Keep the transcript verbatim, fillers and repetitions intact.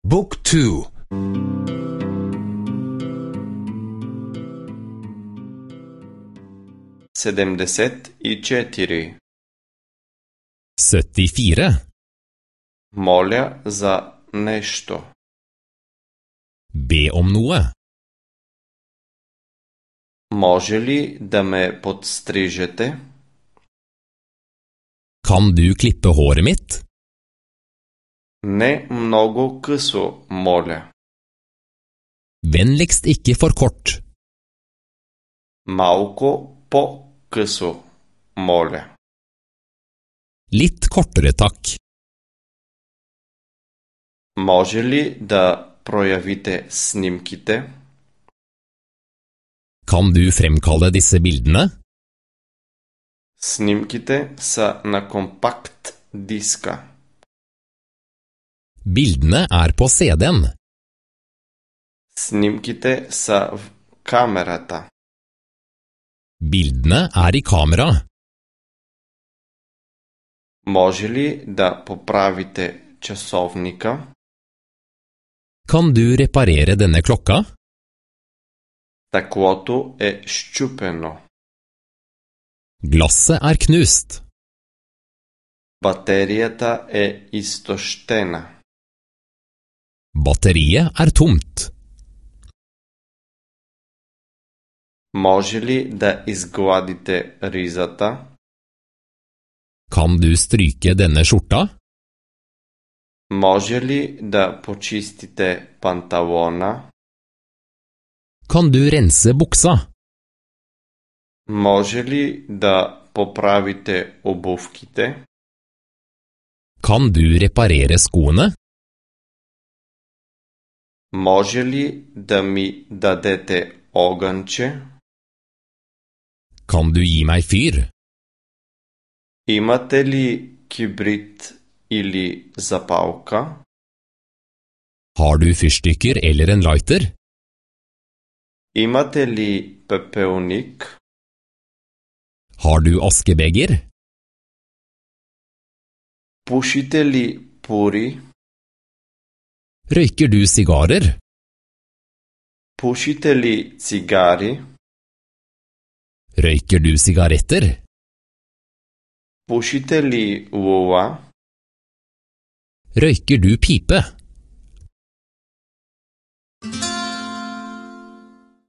Book two. седемдесет и четири. syttifire. Моля за нещо. Be om noe. Може ли да ме подстрижете? Kan du klippe håret mitt? Не много късо, моля. Vennligst ikke for kort. Малко по-късо, моля. Litt kortere takk. Може ли да проявите снимките? Kan du fremkalle disse bildene? Снимките са на компакт диска. Bildene er på C D-en. Снимките са в камерата. Bildene er i kamera. Може ли да поправите часовника? Kan du reparere denne klokka? Стъклото е счупено. Glasset er knust. Батерията е изтощена. Batteriet er tomt. Може ли да изгладите ризата? Kan du stryke denne skjorta? Може ли да почистите панталона? Kan du rense buksa? Може ли да поправите обувките? Kan du reparere skoene? Може ли да ми дадете огънче? Kan du gi meg fyr? Имате ли кибрит или запалка? Har du fyrstikker eller en lighter? Имате ли пепелник? Har du askebeger? Пушите ли пури? Røyker du sigarer? Пушите ли цигари? Røyker du sigaretter? Пушите ли лула? Røyker du pipe?